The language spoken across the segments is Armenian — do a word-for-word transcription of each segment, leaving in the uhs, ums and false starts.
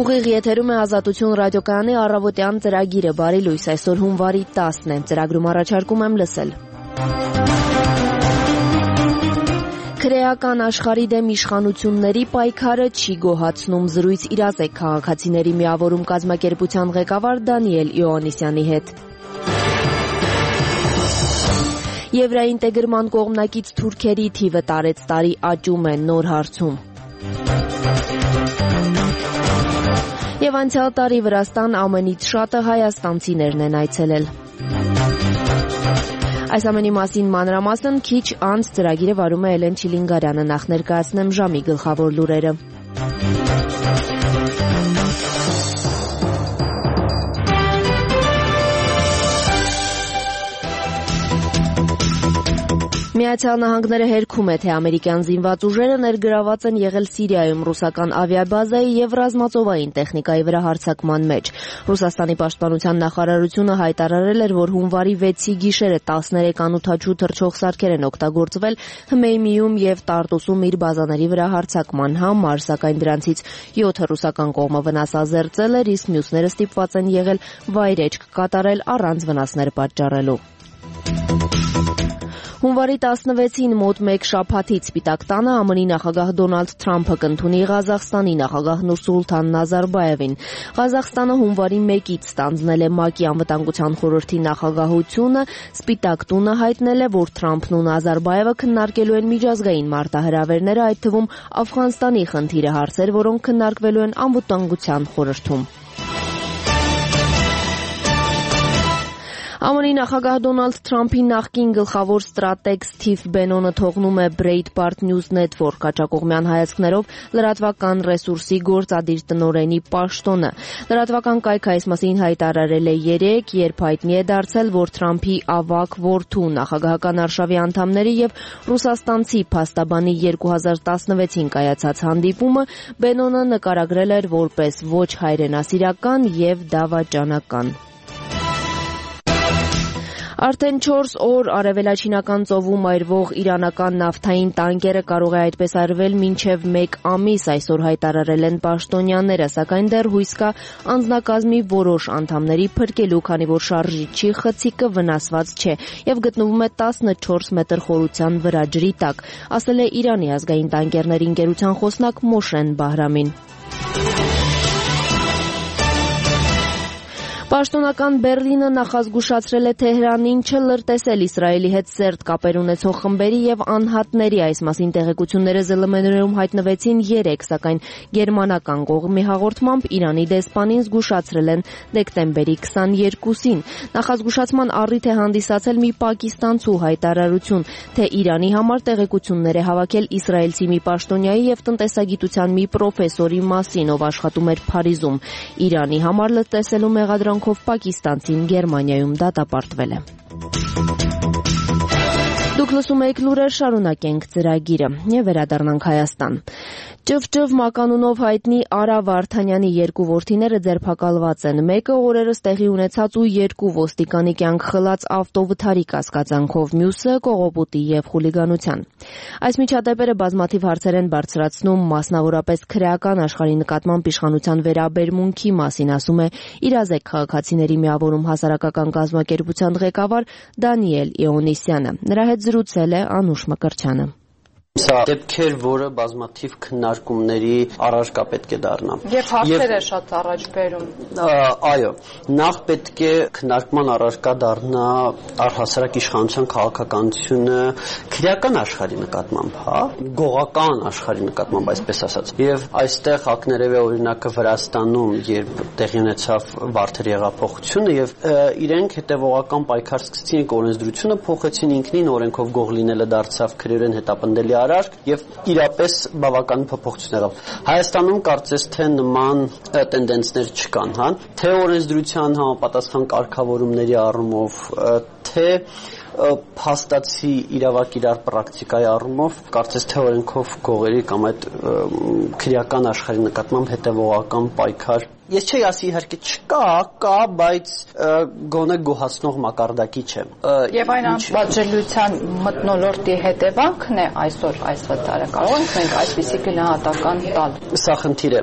Ուղիղ եթերում է Ազատություն ռադիոկայանի առավոտյան ծրագիրը, բարի լույս, այսօր հունվարի տասն է, ծրագրում առաջարկում եմ լսել։ Քրեական աշխարհի դեմ իշխանությունների պայքարը չի գոհացնում, զրույց իրազեկ քաղաքացիների միավորում կազմակերպության ղեկավար Դանիել Իոաննիսյանի հետ։ Եվրայինտեգրման կողմնակից թուրքերի թիվը տարեց տարի աճում է նոր հարցում։ Եվ անցյալ տարի Վրաստան ամենից շատը հայաստանցիներն են այցելել։ Այս ամենի մասին մանրամասն քիչ անց ծրագիրը վարում է Էլեն Չիլինգարյանը, նախ ներկայացնեմ ժամի գլխավոր լուրերը։ Միացյալ Նահանգները հերքում է, թե ամերիկյան զինված ուժերը ներգրաված են եղել Սիրիայում ռուսական ավիաբազայի եւ ռազմածովային տեխնիկայի վրա հարձակման մեջ։ Ռուսաստանի պաշտպանության նախարարությունը հայտարարել էր, որ հունվարի վեցի գիշերը տասներեք անօդաչու թռչող սարքեր են օգտագործվել Հմեյմիում եւ Տարտուսում իր բազաների վրա հարձակման համար, սակայն դրանցից յոթը ռուսական կողմը վնասազերծել էր, իսկ մյուսները ստիպված են եղել վայրեջք կատարել առանց վնասներ պատճառելու։ Հունվարի տասնվեցին մոտ մեկ շաբաթից Սպիտակ տանը ԱՄՆ-ի նախագահ Դոնալդ Թրամփը կընդունի Ղազախստանի նախագահ Նուրսուլթան Նազարբաևին։ Ղազախստանը հունվարի մեկից ստանձնել է ՄԱԿ-ի անվտանգության խորհրդի նախագահությունը, Սպիտակ տունը հայտնել է, որ Թրամփն ու Նազարբաևը քննարկելու են միջազգային մարտահրավերները, այդ թվում Աֆղանստանի խնդիրը, հարցեր, որոնք քննարկվելու են անվտանգության խորհրդում։ ԱՄՆ-ի նախագահ Դոնալդ Թրամփի նախկին գլխավոր ստրատեգ Սթիվ Բենոնը թողնում է Breitbart News Network հաճակողմյան հայացքներով լրատվական ռեսուրսի գործադիր տնօրենի պաշտոնը։ Լրատվական կայքը այս մասին հայտարարել է երեկ, երբ հայտնի է դարձել, որ Թրամփի ավագ որդու նախագահական արշավի անդամների եւ ռուսաստանցի փաստաբանի երկու հազար տասնվեցին կայացած հանդիպումը Բենոնը նկարագրել էր որպես ոչ հայրենասիրական եւ դավաճանական։ Արդեն չորս օր արևելաչինական ծովում այրվող իրանական նավթային տանկերը կարող է այդպես արվել մինչև մեկ ամիս, այսօր հայտարարել են պաշտոնյաները, սակայն դեռ հույս կա անձնակազմի որոշ անդամների փրկելու, քանի որ շարժիչի խցիկը վնասված չէ եւ գտնվում է տասնչորս մետր խորության վրա ջրի տակ, ասել է Իրանի ազգային տանկերների ընկերության խոսնակ Մոշեն Բահրամին։ Պաշտոնական Բեռլինը նախազգուշացրել է Թեհրանին չլրտեսել Իսրայելի հետ սերտ կապեր ունեցող խմբերի եւ անհատների, այս մասին տեղեկությունները Զ Լ Մ-ներում հայտնվեցին երեկ, սակայն գերմանական կողմի հաղորդմամբ Իրանի դեսպանին զգուշացրել են դեկտեմբերի քսաներկուսին։ Նախազգուշացման առիթ է հանդիսացել մի պակիստանցու հայտարարություն, թե Իրանի համար տեղեկություններ է հավաքել իսրայելցի մի պաշտոնյայի եւ տնտեսագիտության մի պրոֆեսորի մասին, ով աշխատում էր Փարիզում։ Իրանի համար լրտեսելու մեղադրանք Պակիստանցին Գերմանիայում դատապարտվել է։ Դուք լսում եք լուրեր, շարունակենք ծրագիրը եւ վերադառնանք Հայաստան։ Ճվճվ մականունով հայտնի Արա Վարդանյանի երկու որդիները ձերբակալված են։ Մեկը օրերս տեղի ունեցած ու երկու ոստիկանի կյանք խլած ավտովթարի կասկածանքով, մյուսը կողոպուտի եւ խուլիգանության։ Այս միջադեպերը բազմաթիվ հարցեր են բարձրացնում, մասնավորապես քրեական աշխարհի նկատմամբ իշխանության վերաբերմունքի մասին, ասում է իրազեկ քաղաքացիների միավորում հասարակական կազմակերպության ղեկավար Դանիել Իոաննիսյանը։ Նրա հետ զրուցել է Անուշ Մկրտչյանը։ Սա դեպքեր, որը բազմաթիվ քննարկումների առարկա պետք է դառնա։ Եվ հարցեր է շատ առաջ բերում։ Այո, նախ պետք է քննարկման առարկա դառնա առհասարակ իշխանության քաղաքականությունը քրեական աշխարհի նկատմամբ, հա, գողական աշխարհի նկատմամբ, այսպես ասած։ Եվ այստեղ ակներևի օրինակը Վրաստանում, երբ տեղի ունեցավ Վարդերի հեղափոխությունը, եւ իրենք հետեւողական պայքար սկսեցին, օրենսդրությունը փոխեցին, ինքնին օրենքով գող լինելը դարձավ քրեորեն հետապնդելի արարք եւ իրապես բավական փոփոխություն եղավ։ Հայաստանում կարծես թե նման տենդենսներ չկան, հա, թե օրենսդրության համապատասխան կարգավորումների առումով, թե փաստացի իրավակ իրար պրակտիկայի առումով, կարծես թե օրենքով գողերի կամ այդ քրեական աշխարհի նկատմամբ հետևողական պայքար ես չի ասի իհարկե չկա, կա, բայց գոնե գոհացնող մակարդակի չէ։ Եվ այն անպատժելիության մթնոլորտի հետևանքն է այսօր այս վտարը։ Կարող ենք մենք այսպիսի գնահատական տալ։ Սա խնդիր է,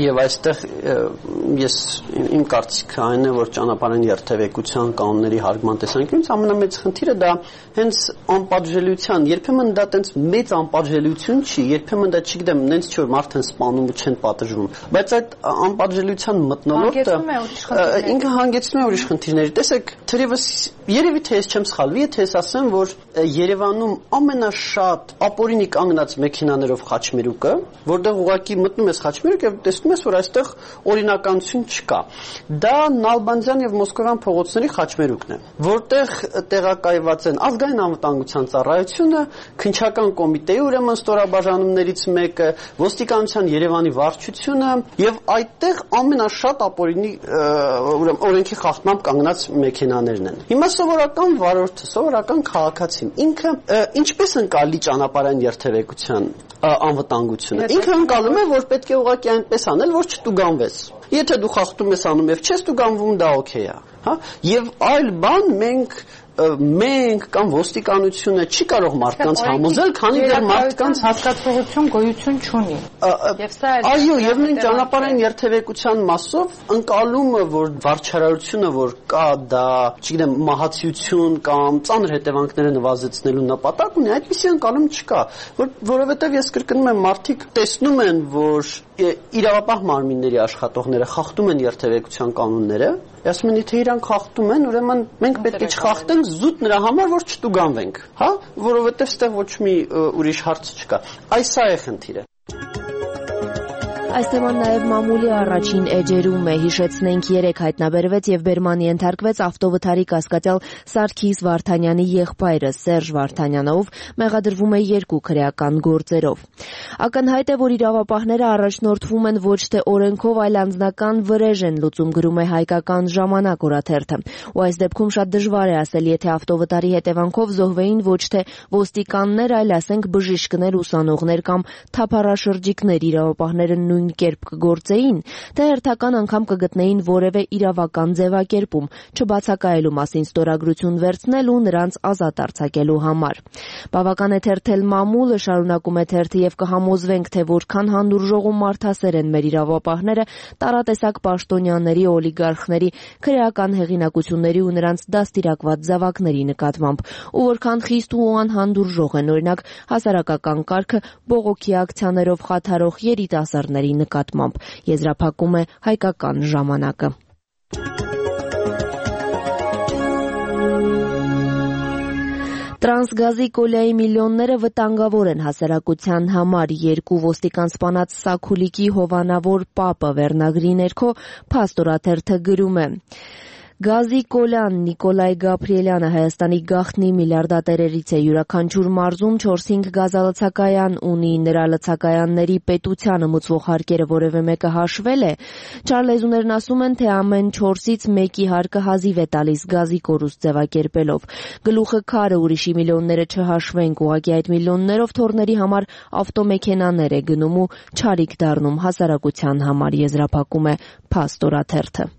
եւ այստեղ ես իմ կարծիքը այն է, որ ճանապարհային երթևեկության կանոնների հարգման տեսանկյունից ամենամեծ խնդիրը դա հենց անպատժելիության, երբեմն դա տենց մեծ անպատժելիություն չի, երբեմն դա չգիտեմ, նենց չի որ մարդն սպանում ու չեն պատժվում, բայց այդ անպատժելիության մթնոլորտը ինքը հանգեցնում է ուրիշ խնդիրների։ Տեսեք, թերևս երևի թե ես չեմ սխալվի, եթե ես ասեմ, որ Երևանում ամենաշատ ապօրինի կանգնած մեքենաներով խաչմերուկը, որտեղ ուղղակի մտնում ես խաչմերուկ եւ տեսնում ես, որ այստեղ օրինականություն չկա։ Դա Նալբանդյան եւ Մոսկովյան փողոցների խաչմերուկն է, որտեղ տեղակայված են ազգային անվտանգության ծառայությունը, քննչական կոմիտեի ուրեմն ստորաբաժանումներից մեկը, ոստիկանության Երևանի վարչությունը եւ այդտեղ ամենաշատ ապօրինի ուրեմն օրենքի խախտմամբ կանգնած մեքենաներն են։ Հիմա սովորական վարորդը, սովորական քաղաքացին ինքը ինչպես ընկալի ճանապարհային երթևեկության անվտանգությունը։ Ինքը ընկալում է, որ պետք է ուղղակի այնպես անել, որ չտուգանվես։ Եթե դու խախտում ես անում եւ չես տուգանվում, դա օքեյ է, հա։ Եվ այլ բան մենք մենք կամ ոստիկանությունը չի կարող մարդկանց համոզել, քանի դեռ մարդկանց հասկացողություն գոյություն չունի։ Եվ սա է։ Այո, եւ նույն ճանապարհային երթևեկության մասով ընկալումը, որ վարչարարությունը, որ կա դա, չգիտեմ, մահացիություն կամ ծանր հետևանքները նվազեցնելու նպատակ ունի, այդպիսի ընկալում չկա, որ որովհետեւ ես կրկնում եմ, մարդիկ տեսնում են, որ իրավապահ մարմինների աշխատողները խախտում են երթևեկության կանոնները, ասում են, եթե իրանք խախտում են, ուրեմն մենք պետք է չխախտենք զուտ նրա համար, որ չտուգանվենք, հա, որովհետև ստեղ ոչ մի ուրիշ հարց չկա։ Այս սա է խնդիրը։ Այս թեման նաև մամուլի առաջին էջերում է, հիշեցնենք երեք հայտնաբերվեց եւ բերմանի ենթարկվեց ավտովթարի կասկածյալ Սարգիս Վարդանյանի եղբայրը Սերժ Վարդանյանը, ով մեղադրվում է երկու քրեական գործերով։ Ակնհայտ է, որ իրավապահները առաջնորդվում են ոչ թե օրենքով, այլ անձնական վրեժ են լուծում, գրում է Հայկական ժամանակ օրաթերթը։ Ու այս դեպքում շատ դժվար է ասել, եթե ավտովթարի հետևանքով զոհվեին ոչ թե ոստիկաններ, այլ ասենք բժիշկներ, ուսանողներ կամ թափառաշրջիկներ, իրավապահները նույն կերպ կգործեին, թե հերթական անգամ կգտնեին որևէ իրավական ձևակերպում, չբացակայելու մասին ստորագրություն վերցնել ու նրանց ազատ արձակելու համար։ Բավական է թերթել մամուլը, շարունակում է թերթը, եւ կհամոզվենք, թե որքան հանդուրժող ու մարդասեր են մեր իրավապահները տարատեսակ պաշտոնյաների, օլիգարխների, քրեական հեղինակությունների ու նրանց դաստիարակված զավակների նկատմամբ, ու որքան խիստ ու անհանդուրժող են օրինակ հասարակական կարգը բողոքի ակցիաներով խաթարող երիտասարդների նկատմամբ, եզրափակում է Հայկական ժամանակը։ Տրանսգազի կոլայի միլիոնները վտանգավոր են հասարակության համար, երկու ոստիկան սպանած Սաքուլիկի հովանավոր պապը վերնագրի ներքո Փաստորաթերթը գրում է. Գազի կոլան Նիկոլայ Գաբրիելյանը Հայաստանի գաղտնի միլիարդատերերից է, յուրաքանչյուր մարզում չորս-հինգ գազալցակայան ունի, նրա լցակայանների պետությանը մուծվող հարկերը որևէ մեկը հաշվել է։ Չարլեզուներն ասում են, թե ամեն չորսից մեկի հարկը հազիվ է տալիս գազի կորուստ ձևակերպելով։ Գլուխը քարը, ուրիշի միլիոնները չհաշվենք, ուղղակի այդ միլիոններով թորների համար ավտոմեքենաներ է գնում ու չարիք դառնում հասարակության համար, եզրափակում է Փաստորաթերթը։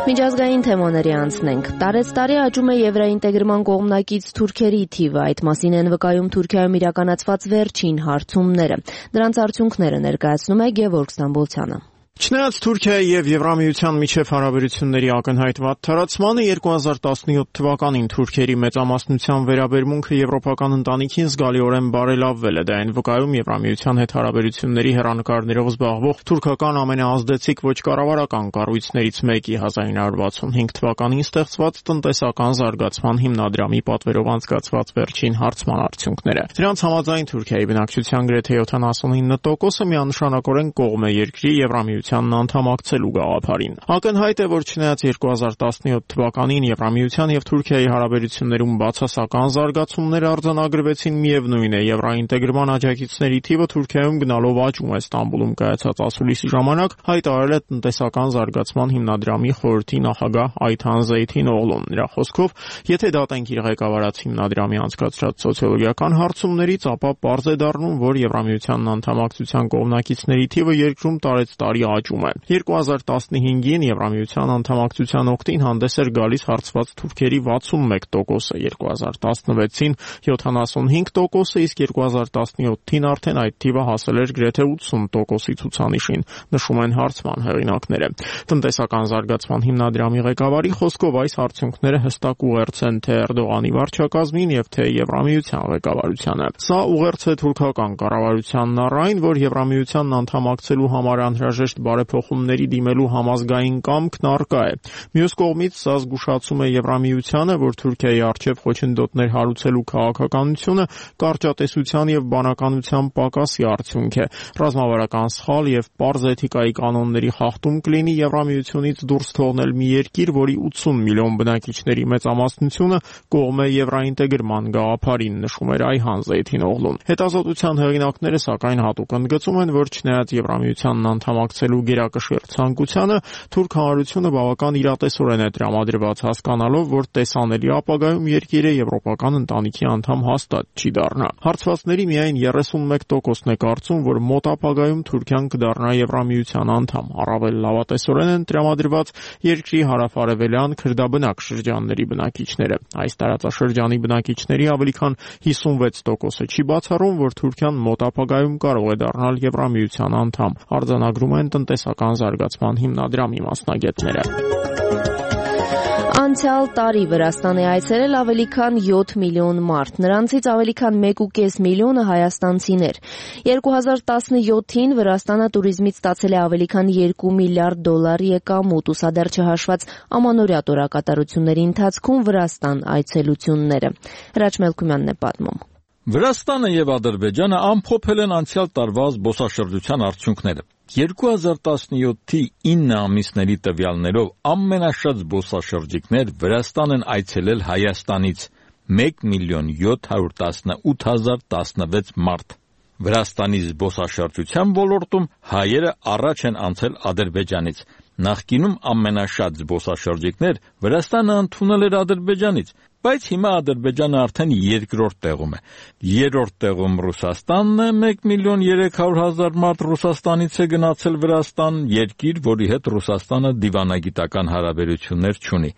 Միջազգային թեմաների անցնենք։ Տարեցտարի աճում է եվրոինտեգրման կողմնակից թուրքերի թիվը, այդ մասին են վկայում Թուրքիայում իրականացված վերջին հարցումները։ Դրանց արդյունքները ներկայացնում է Գևորգ Ստամբոլցյանը։ Չնայած Թուրքիայի եւ Եվրամիության միջև հարաբերությունների ակնհայտ վատ թարացմանը երկու հազար տասնյոթ թվականին թուրքերի մեծամասնության վերաբերմունքը եվրոպական ընտանիքին զգալիորեն բարելավվել է, դա այն վկայում Եվրամիության հետ հարաբերությունների հեռանկարներով զբաղվող թուրքական ամենաազդեցիկ ոչ կառավարական կառույցներից մեկի հազար ինը հարյուր վաթսունհինգ թվականին ստեղծված տնտեսական զարգացման հիմնադրամի պատվերով անցկացված վերջին հարցման արդյունքները։ Դրանց համաձայն Թուրքիայի բնակչության գրեթե յոթանասունինը տոկոսը միանշանակորեն կողմ է երկրի Եվրամիության Եվրամիությանն անդամակցելու գաղափարին։ Ակնհայտ է, որ չնայած երկու հազար տասնյոթ թվականին Եվրամիության եւ Թուրքիայի հարաբերություններում բացասական զարգացումներ արձանագրվեցին, միևնույն է, եվրոինտեգրման աջակիցների թիվը Թուրքիայում գնալով աճում է։ Ստամբուլում կայացած ասուլիսի ժամանակ հայտարարել է տնտեսական զարգացման հիմնադրամի խորհրդի նախագահ Այթան Զեյթին Օղլուն։ Նրա խոսքով, եթե դատենք իր ղեկավարած հիմնադրամի անցկացրած սոցիոլոգիական հարցումներից, ապա պարզ է դառնում, որ Եվրամիությանն անդամակցության կողմնակիցների թիվը երկրում տարեցտարի աճում է։ երկու հազար տասնհինգին Եվրամիության անդամակցության օգտին հանդես էր գալիս հարցված թուրքերի վաթսունմեկ տոկոսը, երկու հազար տասնվեցին յոթանասունհինգ տոկոսը, իսկ երկու հազար տասնյոթին արդեն այդ թիվը հասել էր գրեթե ութսուն տոկոսի ցուցանիշին, նշում են հարցման հեղինակները։ Տնտեսական զարգացման հիմնադրամի ղեկավարի խոսքով այս արդյունքները հստակ ուղերձ են թե Էրդողանի վարչակազմին եւ թե Եվրամիության ղեկավարությանը։ Սա ուղերձ է թուրքական կառավարությանն առ այն, որ Եվրամիությանն անդամակցելու համար անհրաժեշտ բարեփոխումների դիմելու համազգային կամքն առկա է։ Մյուս կողմից սա զգուշացում է Եվրամիությանը, որ Թուրքիայի առջև խոչընդոտներ հարուցելու քաղաքականությունը կարճատեսության եւ բանականության պակասի արդյունք է։ Ռազմավարական սխալ եւ պարզ էթիկայի կանոնների խախտում կլինի Եվրամիությունից դուրս թողնել մի երկիր, որի ութսուն միլիոն բնակիչների մեծամասնությունը կողմ է եվրոինտեգրման գաղափարին, նշում էր Այթան Զեյթին Օղլուն։ Հետազոտության հեղինակները սակայն հատուկ ընդգծում են, որ չնայած Եվրամիությանն անդամակցելու գերակշիռ ցանկությանը, թուրք հանրությունը բավական իրատեսորեն է տրամադրված, հասկանալով, որ տեսանելի ապագայում երկիրը եվրոպական ընտանիքի անդամ հաստատ չի դառնա։ Հարցվածների միայն երեսունմեկ տոկոսն է կարծում, որ մոտ ապագայում Թուրքիան կդառնա Եվրամիության անդամ։ Առավել լավատեսորեն են տրամադրված երկրի հարավարևելյան քրդաբնակ շրջանների բնակիչները։ Այս տարածաշրջանի բնակիչների ավելի քան հիսունվեց տոկոսը չի բացառում, որ Թուրքիան մոտ ապագայում կարող է դառնալ Եվրամիության անդամ, արձանագրում են տնտեսական զարգացման հիմնադրամի մասնագետները։ Անցյալ տարի Վրաստան է այցելել ավելի քան յոթ միլիոն մարդ, նրանցից ավելի քան մեկ ու կես միլիոնը հայաստանցիներ։ երկու հազար տասնյոթին Վրաստանը туриզմից ստացել է ավելի քան երկու միլիարդ դոլար եկամուտ, ուսադեռ չհաշված ամանորյա տորակատարությունների ընթացքում Վրաստան այցելությունները։ Հրաչ Մելքումյանն է պատմում։ Վրաստանը եւ Ադրբեջանը ամփոփել են անցյալ տարվա զբոսաշրջության արդյունքները։ երկու հազար տասնյոթի ինը ամիսների տվյալներով ամենաշատ զբոսաշրջիկներ Վրաստան են այցելել Հայաստանից մեկ միլիոն յոթ հարյուր տասնութ հազար տասնվեց մարդ։ Վրաստանի զբոսաշրջության ոլորտում հայերը առաջ են անցել Ադրբեջանից։ Նախկինում ամենաշատ զբոսաշրջիկներ Վրաստանը ընդունել էր Ադրբեջանից, բայց հիմա Ադրբեջանը արդեն երկրորդ տեղում է։ Երրորդ տեղում Ռուսաստանն է, մեկ միլիոն երեք հարյուր հազար մարդ Ռուսաստանից է գնացել Վրաստան, երկիր, որի հետ Ռուսաստանը դիվանագիտական հարաբերություններ չունի։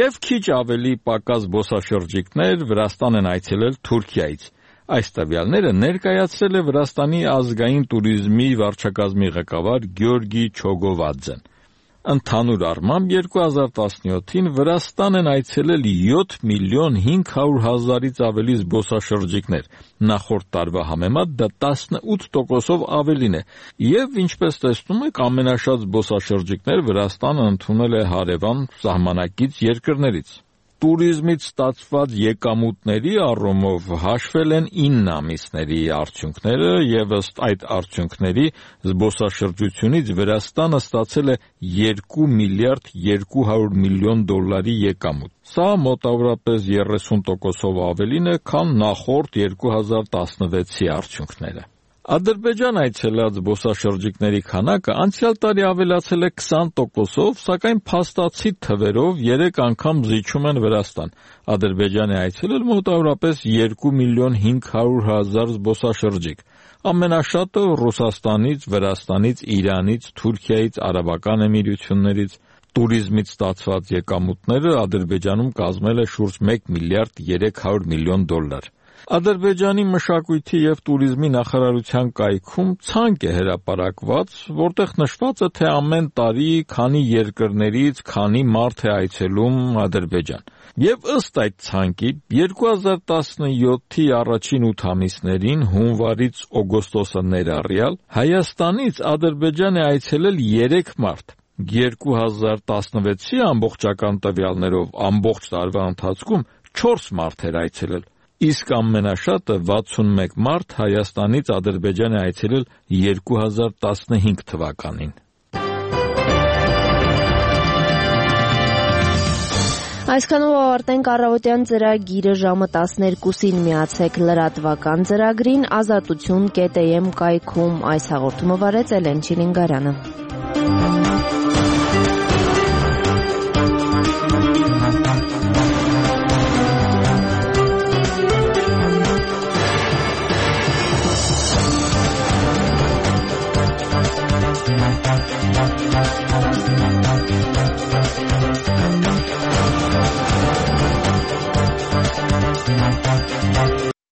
Եվ քիչ ավելի պակաս զբոսաշրջիկներ Վրաստան են այցելել Թուրքիայից։ Այս տվյալները ներկայացրել է Վրաստանի ազգային туриզմի վարչակազմի ղեկավար Գյորգի Չոգովադզեն։ Ընդհանուր առմամբ երկու հազար տասնյոթին Վրաստան են այցելել յոթ միլիոն հինգ հարյուր հազարից ավելի զբոսաշրջիկներ, նախորդ տարվա համեմատ դա տասնութ տոկոսով ավելին է, եւ ինչպես տեսնում եք, ամենաշատ զբոսաշրջիկներ Վրաստանը ընդունել է հարևան սահմանակից երկրներից։ Туриզմից ստացված եկամուտների առումով հաշվել են ինը ամիսների արդյունքները եւ ըստ այդ արդյունքների զբոսաշրջությունից Վրաստանը ստացել է երկու միլիարդ երկու հարյուր միլիոն դոլարի եկամուտ։ Սա մոտավորապես երեսուն տոկոսով ավելին է, քան նախորդ երկու հազար տասնվեցի արդյունքները։ Ադրբեջան այցելած զբոսաշրջիկների քանակը անցյալ տարի ավելացել է քսան տոկոսով, սակայն փաստացի թվերով երեք անգամ զիջում են Վրաստան։ Ադրբեջան է այցելել մոտավորապես երկու միլիոն հինգ հարյուր հազար զբոսաշրջիկ։ Ամենաշատը Ռուսաստանից, Վրաստանից, Իրանից, Թուրքիայից, Արաբական Էմիրություններից։ Туриզմից ստացված եկամուտները Ադրբեջանում կազմել է շուրջ մեկ միլիարդ երեք հարյուր միլիոն դոլար։ Ադրբեջանի մշակույթի եւ туриզմի նախարարության կայքում ցանկ է հրապարակված, որտեղ նշված է, թե ամեն տարի քանի երկրներից քանի մարդ է այցելում Ադրբեջան։ Եվ ըստ այդ ցանկի երկու հազար տասնյոթի առաջին ութ ամիսներին հունվարից օգոստոսը ներառյալ Հայաստանից Ադրբեջան է այցելել երեք մարդ։ երկու հազար տասնվեցի ամբողջական տվյալներով ամբողջ տարվա ընթացքում չորս մարդ էր այցելել։ Իսկ ամենաշատը վաթսունմեկ մարդ Հայաստանից Ադրբեջան է այցելել երկու հազար տասնհինգ թվականին։ Այսքանով ավարտենք առավոտյան ծրագիրը ժամը տասներկուսին միացեք լրատվական ծրագրին ազատություն կետ էմ կայքում այս հաղորդումը վարեց Էլեն Չիլինգարյանը։